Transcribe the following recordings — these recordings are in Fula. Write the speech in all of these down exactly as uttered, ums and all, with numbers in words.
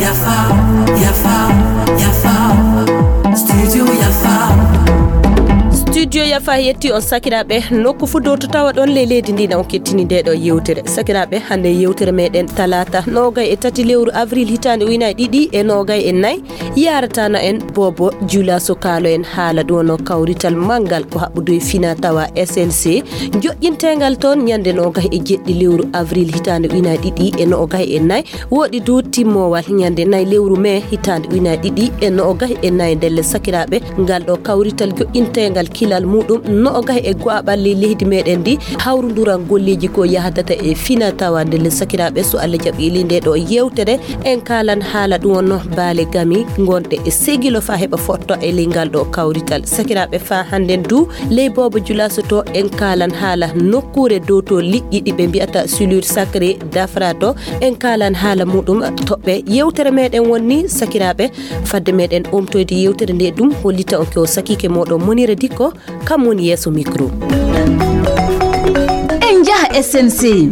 Yafa, yafa, yafa. Studio yafa. Studio yafa yetti on sakiraaɓe, nokku fuu dow to tawa ɗon ley leydi ndi na on kettini nde ɗo yewtere. Sakiraaɓe, hannde yewtere meɗen talaata noogay e tati lewru avril hitaande ujunaaji ɗiɗi e noogay e nayi. Yaratana en Bobo Jula so kaalo en haala ɗum no kawrital manngal ko haɓɓudu e fina tawa S N C, joƴƴinteengal toon ñande noogay e jeɗɗi lewru avril hitaande ujunaaji ɗiɗi e noogay e nayi, woɗi du timmoowal ñande nayi lewru mee hitaande ujunaaji ɗiɗi e noogay e nayi. Ndelle sakiraaɓe, ngal ɗo kawrital joƴƴinteengal kilal muɗum noogay e go'aɓal ley leydi meɗen ndi, hawrunduran golleeji ko yahdata e fina tawa. Ndelle sakiraaɓe, so Allah jaɓi ley nde ɗo yewtere, en kaalan haala ɗum wonno baale gami ngonɗe e segilo fa heɓa fotto e ley ngal ɗo kawrital. Sakiraaɓe, fa hannden du ley Bobo Jula so to en kaalan haala nokkuure dow to liƴƴi ɗi ɓe mbiyata silure sacré dafra to, en kaalan haala muɗum toɓɓe. Yewtere meɗen wonni sakiraaɓe, fadde meɗen omtoyde yewtere nde ɗum hollita on ko sakiike moɗon Monira Dikko, kam woni yeeso micro. En njaha S N C.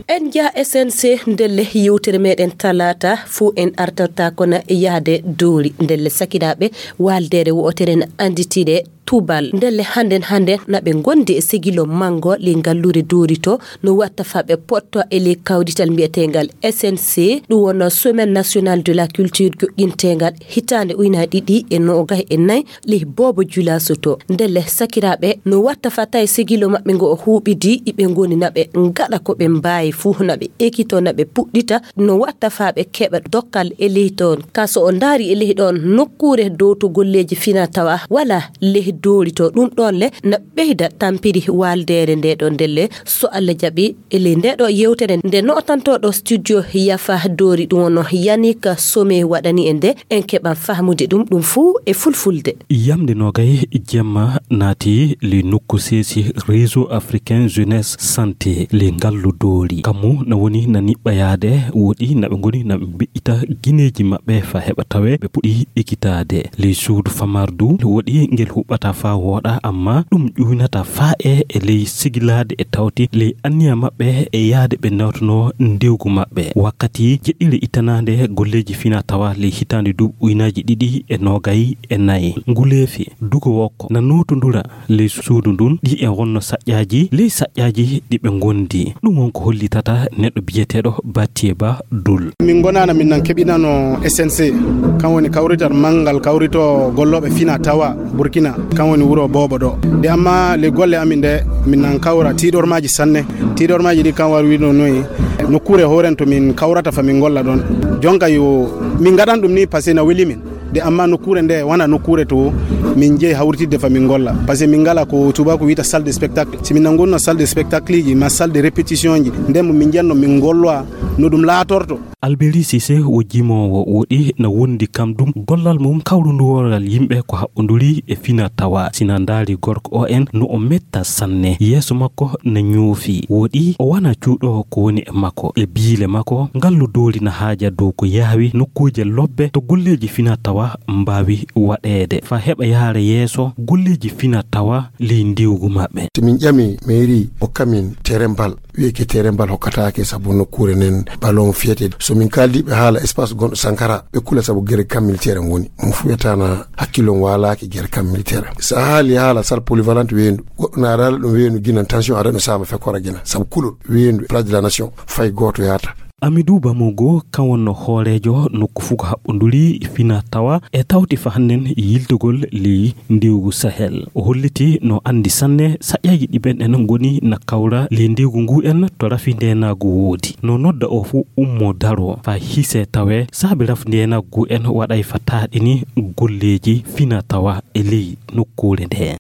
En njaha S N C, ndelle yewtere meɗen talaata fuu en artata kono e yahde doori. Ndelle sakiraaɓe, waaldeere wo'otere na annditire Tubal. Ndelle hannden hannden na ɓe ngondi e segilo manngo ley ngalluure doori to no watta fa ɓe potto e ley kawrital mbiyeteengal S N C, ɗum wonno Semaine Nationale de la Culture joƴƴinteengal hitaande ujunaaji ɗiɗi e noogay e nayi ley Bobo Jula Soto. Ndelle sakiraaɓe, no watta fa tawi sigilo maɓɓe ngo o huuɓidi, iɓe ngoni na ɓe ngaɗa ko ɓe mbaawi fuu, na ɓe ekito, na ɓe puɗɗita, no watta fa ɓe keɓa dokkal e ley toon. Ka so o ndaari e ley ɗoon nokkuure dow to golleeji fina tawa wala ley doori to, ɗum ɗoon le na ɓeyda tampiri waaldeere nde ɗo. Ndelle so Allah jaɓi, e ley nde ɗo yewtere nde nootantooɗo studio Yafa Doori, ɗum wonno Yannick Somé waɗani en nde, en keɓan fahmude ɗum, ɗum fuu e fulfulde. Yamde noogay jemma naati le nokku seesi Réseau Africain Jeunesse Santé le ngallu doori. Kammu na woni na niɓɓayaade, woɗi na ɓe ngoni na ɓe mbeƴƴita gineeji maɓɓe fa heɓa tawe ɓe puɗi ekitaade. Ley suudu famardu woɗi ngel huɓɓata fa wooɗa, amma ɗum ƴuynata fa e, e ley sigilaade e tawti ley anniya maɓɓe e yaade ɓe nawtuno ndewgu maɓɓe. Wakkati jeɗɗire ittanaande golleeji fina tawa ley hitaande duuɓi ujunaaji ɗiɗi e noogay e nayi. Nguleefi dugo wokko na nootondura ley suudu ndun, ɗi e wonno saƴƴaaji ley saƴƴaaji ɗi ɓe ngondi. Ɗum won ko hollitata neɗɗo biyeteeɗo Batiye Ba Dul. Min ngonaana min nan keɓinano S N C, kan woni kawrital manngal kawrito gollooɓe fina tawa Burkina, kan woni wuro Boobo ɗo. De amma le golle amin ɗe, min nan kawra tiiɗormaaji sanne. Tiiɗormaaji ɗi kan war wiɗo noyi, nokkuure hooren to min kawrata fa min golla ɗon. Jonka yo min ngaɗan ɗum ni, parce que na weli min. De amma nokkuure nde wona nokkuure to min jeyi hawritidde fa min golla. Parce que min ngala ko tubaako wiyta salle de spectacle. Si min nangonno salle de spectacle ji ma salle de répétition ji, nden mo min njiyanno min ngollowa no ɗum laatorto. Alberi Sise wo jimoowo woɗi na wondi kam ɗum gollal mum kawrunduworal yimɓe ko haɓɓonduri e fina tawa. Sina ndaari gorko o en no o metta sanne. Yeeso makko na ñoofi. Woɗi o wana cuuɗo ko woni e makko. E biile makko, ngallu doori na haaja dow ko yaawi nokkuuje lobbe to golleeji fina tawa mbaawi waɗeede. Fa heɓa yaara yeeso golleeji fina tawa ley ndiwgu maɓɓe. To min ƴami mairie o kamin terrain bal, wiye ke terrain bal hokkataake sabu nokkuure nden ballon fiyete. So min kaaldi ɓe haala espace gonɗo Sankara, ɓe kula sabu gere camp militaire en woni. Mo fuu wiyata na hakkillo on waalaaki gere camp militaire. So a haali haala salle polyvalente weendu, goɗɗo na daala ɗum weendu ginan tension ada no saama fekkora gina. Sabu kulol weendu place de la nation fay gooto yaata. Amidou Bamogo kan wonno hooreejo nokku fuu ko haɓɓonduri fina tawa e tawti fa hannden yiltugol ley ndiwgu Sahel. O holliti no anndi sanne saƴƴaaji ɗi ɓen en ngoni na kawra ley ndiwgu ngu en to rafi ndeenaagu woodi. No nodda o fuu ummo daro fa hise tawe saabi rafi ndeenaagu ngu en waɗay fa taaɗini golleeji fina tawa e ley nokkuure nde.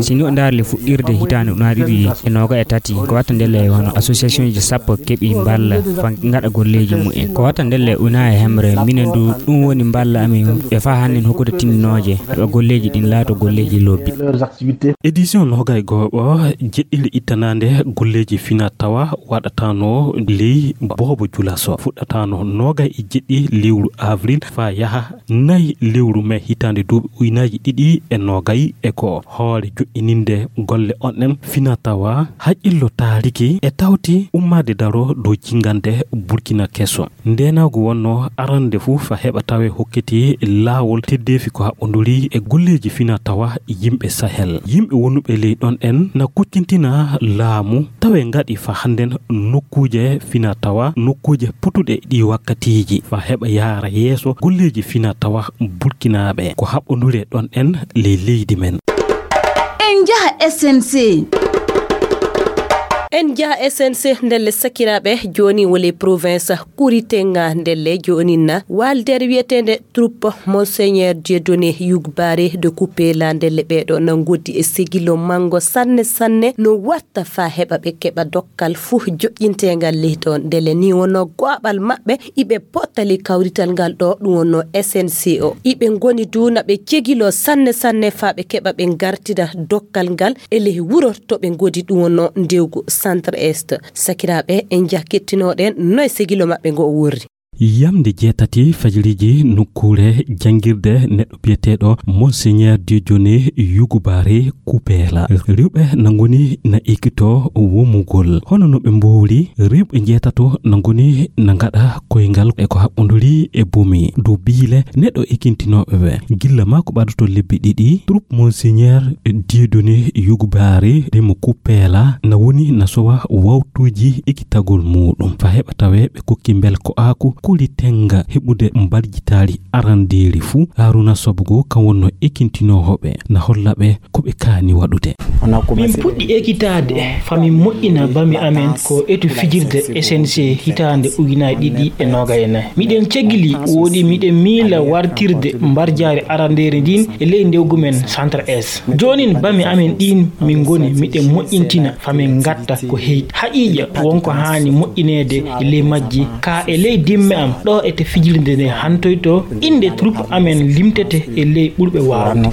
Si no ndaarle fuɗɗirde hitaande ujunaaji ɗiɗi e noogaye e tati, ko watta ndelle wano association ji sappo keɓi mballa. Fa ngaɗa golleeji mumen. Ko wata ndelle una e hemre, minen du ɗum woni mballa amin e fa hannden hokkude tindinooje, heɓa golleeji ɗin laato golleeji lobbi. Édition nogay gooɓo jeɗɗiri ittanaande golleeji fina tawa waɗataano ley boobo julaso. Fuɗɗataano nogay e jeɗɗi lewru avril fa yaha nayi lewru me hitaande duuɓi uynaaji ɗiɗi e nogay e ko hoore joƴƴininde golle on en fina tawa haqqillo taariki e tawti ummaade daro dow jingande Burkina keso. Ndeenaagu wonno arande fuu fa heɓa tawe hokkiti laawol teddeefi ko haɓɓonduri e golleeji fina tawa yimɓe Sahel. Yimɓe wonuɓe ley ɗon en na kuccintina laamu tawe ngaɗi fa hannden nokkuuje fina tawa, nokkuuje potuɗe ɗi wakkatiiji fa heɓa yaara yeeso golleeji fina tawa Burkinaaɓe ko haɓɓonduri e ɗon en ley leydi men. En njaha S N C. En njaha S N C ndelle sakiraaɓe, jooni wole province Kuritenga ndelle joonin na waaldeere wiyeteende troupe Monseigneur Dieudonné Yougbaré de Coupé la ndelle ɓeeɗo na ngoddi e segilo mango sanne sanne no watta fa heɓa ɓe keɓa dokkal fuu joƴƴinteengal ley ɗon. Ndelle ni wonno go'aɓal maɓɓe iɓe pottali kawrital ngal ɗo ɗum wonno S N C o. Iɓe ngoni du na ɓe cegilo sanne sanne fa ɓe keɓa ɓe ngartida dokkal ngal e ley wuro to ɓe ngodi ɗum wonno ndewgu Centre Est. Sakiraaɓe, en njaha kettinooɗen no e segilo maɓɓe ngo o worri. Yamnde jeetati fajiriiji nokkuure janngirde neɗɗo biyeteeɗo Monseigneur Dieudonné Yougoubaré Coupéla. Rewɓe na ngoni na ekkito womugol. Hono no ɓe mbowri, rewɓe njeetato na ngoni na ngaɗa koyngal e ko haɓɓonduri e bomi. Dow biile neɗɗo ekkintinooɓe ɓe. Gilla maa ko ɓadotoo lebbi ɗiɗi, troupe Monseigneur Dieudonné Yougoubaré de Coupéla na woni na sowa wawtuuji ekkitagol muuɗum. Fa heɓa tawee ɓe kokki mbel ko aaku kuli tenga heɓude mbarjitaari arandeeri fuu. Haruna Sobogo kan wonno ekintinoowo ɓe na holla ɓe ko ɓe kaani waɗude. Min puɗɗi ekitaade fa min moƴƴina bami amen ko etu fijirde S N C hitaande ujunaaji ɗiɗi e noogay e nayi. Miɗen cegili woodi miɗen miila wartirde mbarjaari arandeeri ndin e ley ndewgu men Centre S. Joonin bami amen ɗin min ngoni miɗen moƴƴintina fa min ngatta ko heyɗi. Haqiiqa won ko haani moƴƴineede e ley majji, ka e ley dimme am ɗo ete fijirde nde hantoyto, innde troupe amen limtete e ley ɓurɓe waawde.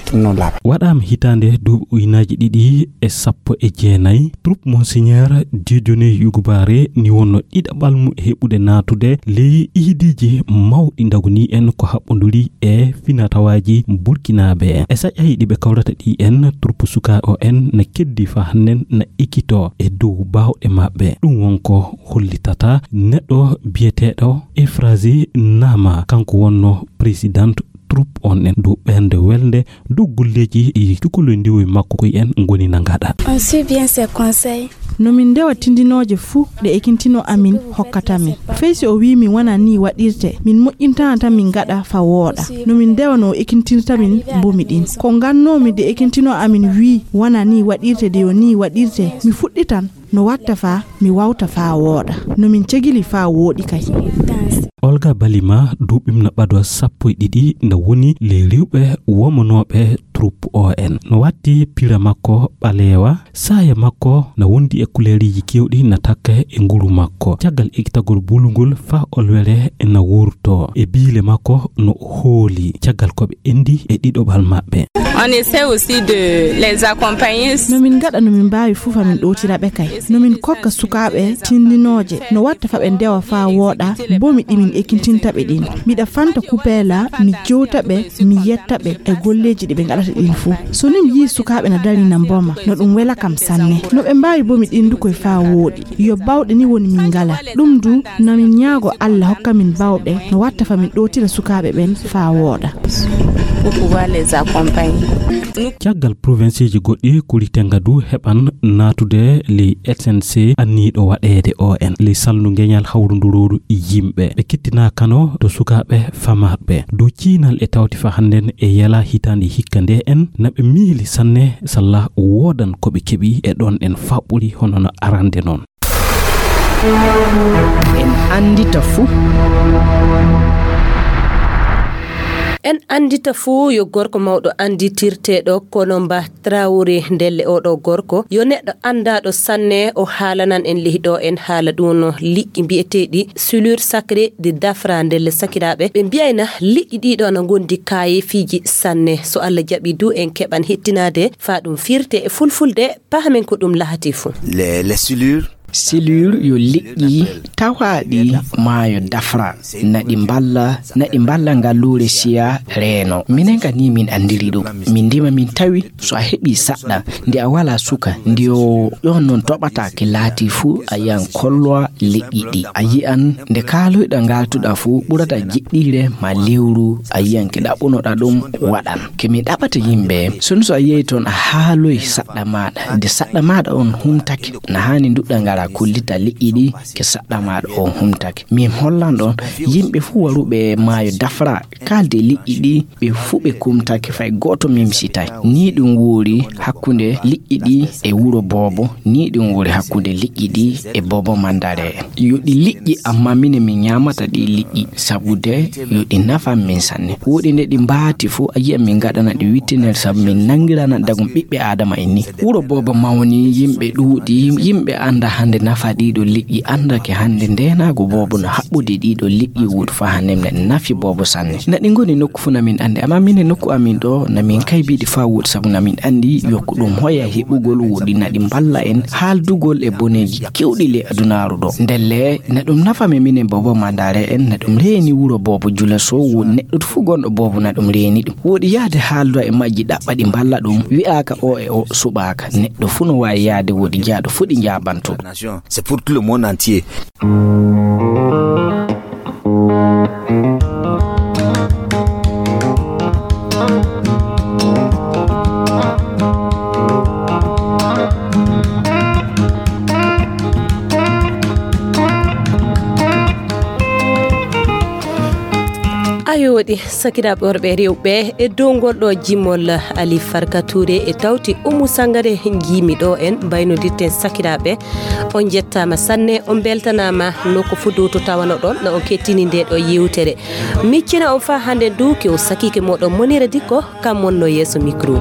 Waɗaama hitaande duuɓi ujunaaji ɗiɗi e sappo e jeenayi, troupe Monseigneur Dieudonné Yougoubaré ni wonno ɗiɗaɓal mum e heɓude naatude ley ihidiiji mawɗi ndagunii en ko haɓɓonduri e finatawaaji Burkinaaɓe. E saƴaaji ɗi ɓe kawrata ɗi en, troupe sukaaɓe o en na keddi fa hannden na ekkito e dow baawɗe maɓɓe. Ɗum won ko hollitata neɗɗo biyeteeɗo Efrazi Nama, kanko wonno président troupe on en dow ɓernde welnde dow golleeji ɗi cukaloy ndiwoy makko koy en ngoni na ngaɗa. On suit bien ses conseils. No min ndewa tindinooje fuu ɗe ekintino amin hokkata min. Fey si o wi'i min wona nii waɗirte, min moƴƴintana tan min ngaɗa fa wooɗa. No min ndewa no o ekintinta min mbomi ɗin. Ko ngannoomi de ekintino amin wi'i wona nii waɗirte de yo nii waɗirte, mi fuɗɗitan no watta fa mi wawta fa wooɗa. No min cegili fa wooɗi kay. Olga Balima duuɓim na ɓado sappo e ɗiɗi na woni ley rewɓe womanooɓe troupe O N. No watti pira makko ɓaleewa, saaya makko na wondi e kuleeriiji keewɗi na takka e nguru makko. Caggal ekitagol bulungol fa olwere na wurto. E biile makko no o hooli caggal ko ɓe endi e ɗiɗoɓal maɓɓe. On essaie aussi de les accompagner. No min ngaɗa no min mbaawi fuu fa min ɗowtira ɓe kay. No min kokka sukaaɓe tindinooje no watta fa ɓe ndewa fa wooɗa, mbomi ɗi min ekintinta ɓe ɗin. Miɗa fanta kupeela, mi jowta ɓe, mi yetta ɓe e golleeji ɗi ɓe ngaɗata ɗin fuu. So ni mi yii sukaaɓe na dari na mboma, no ɗum wela kam sanne. No ɓe mbaawi mbomi ɗin du koy fa wooɗi. Yo bawɗe ni woni min ngala. Ɗum du na min ñaago Alla hokka min bawɗe no watta fa min ɗowtira sukaaɓe ɓen fa wooɗa. Pour pouvoir les accompagner. Caggal provincieji goɗɗi, Kuritenga du heɓan naatude ley S N C anniiɗo waɗeede O N. Ley salndu ngeñal hawrundurooru yimɓe. Ɓe kettinaa kano to sukaaɓe famarɓe. Dow ciinal e tawti fa hannden e yela hitaande hikka nde en, na ɓe miili sanne salla woodan ko ɓe keɓi e ɗon en faɓɓuri hono no arande non. En anndita fuu. En anndita fuu yo gorko mawɗo annditirteeɗo Kolomba Traoré. Ndelle oɗo gorko yo neɗɗo anndaaɗo sanne, o haalanan en lehi ɗo en haala ɗum no liƴƴi mbiyeteeɗi silure sacré de Dafra. Ndelle sakiraaɓe, ɓe mbiyayna liƴƴi ɗiɗo ana ngondi kaayeefiiji sanne. So Allah jaɓi du en keɓan hettinaade faa ɗum firte e fulfulde, pahamen ko ɗum lahati fuu. Les, les silures. Silure yo liƴƴi tawaaɗi maayo Dafra. Naɗi mballa, naɗi mballa ngalluure siya reeno. Minen ka ni min anndiri ɗum. Min ndima min tawi so a heɓi saɗɗa, nde a wala suka, nde o ɗon non toɓata ke laati fuu a yiyan kolloa liƴƴi ɗi. A yiyan nde kaaloyɗa ngaltuɗa fuu ɓurata jiɗɗiire ma lewru a yiyan ke ɗaɓɓunoɗa ɗum waɗan. Ke mi ɗaɓata yimɓe, sono so a yehi toon a haaloy saɗɗa maaɗa, nde saɗɗa maaɗa on humtake, na haani nduɗɗa ngara kollita liƴƴi ɗi ke saɗɗa maaɗa on humtake. Min hollan ɗon yimɓe fuu waruɓe maayo Dafra, kaalde liƴƴi ɗi, ɓe fuu ɓe kumtake fay gooto mimsitay. Ni ɗum woori hakkunde liƴƴi ɗi e wuro boobo, ni ɗum woori hakkunde liƴƴi ɗi e boobo mandare. Yo ɗi liƴƴi, amma minen min ñaamata ɗi liƴƴi, sabu de yo ɗi nafan min sanne. Woɗi nde ɗi mbaati fuu, a yiya min ngaɗana ɗi wittinel, sabu min nanngirana dagum ɓiɓɓe Aadama en ni. Wuro boobo mawni, yimɓe ɗuuɗi, yimɓe annda hannde nafa ɗiɗo liƴƴi, annda ke hannde ndeenaagu boobo no haɓɓude ɗiɗo liƴƴi wuudu faa hannde ne nafi boobo sanne. Na ɗi ngoni nokku fuu na min anndi, amma minen nokku amin ɗo na min kaybiɗi faa wuudu, sabu na min anndi yo ko ɗum hoya heɓugol woɗi na ɗi mballa en haaldugol e boneeji kewɗi ley adunaaru ɗo. Ndelle na ɗum nafa men minen boobo mandare en, na ɗum reeni wuro boobo jula so wo neɗɗo fuu gonɗo boobo na ɗum reeni ɗum. Woɗi yahde haalda e majji ɗaɓɓa ɗi mballa ɗum, wi'aaka o e o suɓaaka. Neɗɗo fuu no waawi yahde woɗi jaaɗo fuu ɗi njaabanto ɗum. C'est pour tout le monde entier. Ayo waɗi sakiraaɓe worɓe e rewɓe, e dow ngol ɗo jimol Ali Farka Touré e tawti Umu Sangare njiimi ɗo en mbaynodirten sakiraaɓe. On njettaama sanne, on mbeltanaama nokku fuu dow to tawanoɗon na on kettini nde ɗo yewtere. Miccina on faa hannde ndu ke o sakiike mooɗon Monira Dikko, kam wonno yeeso micro.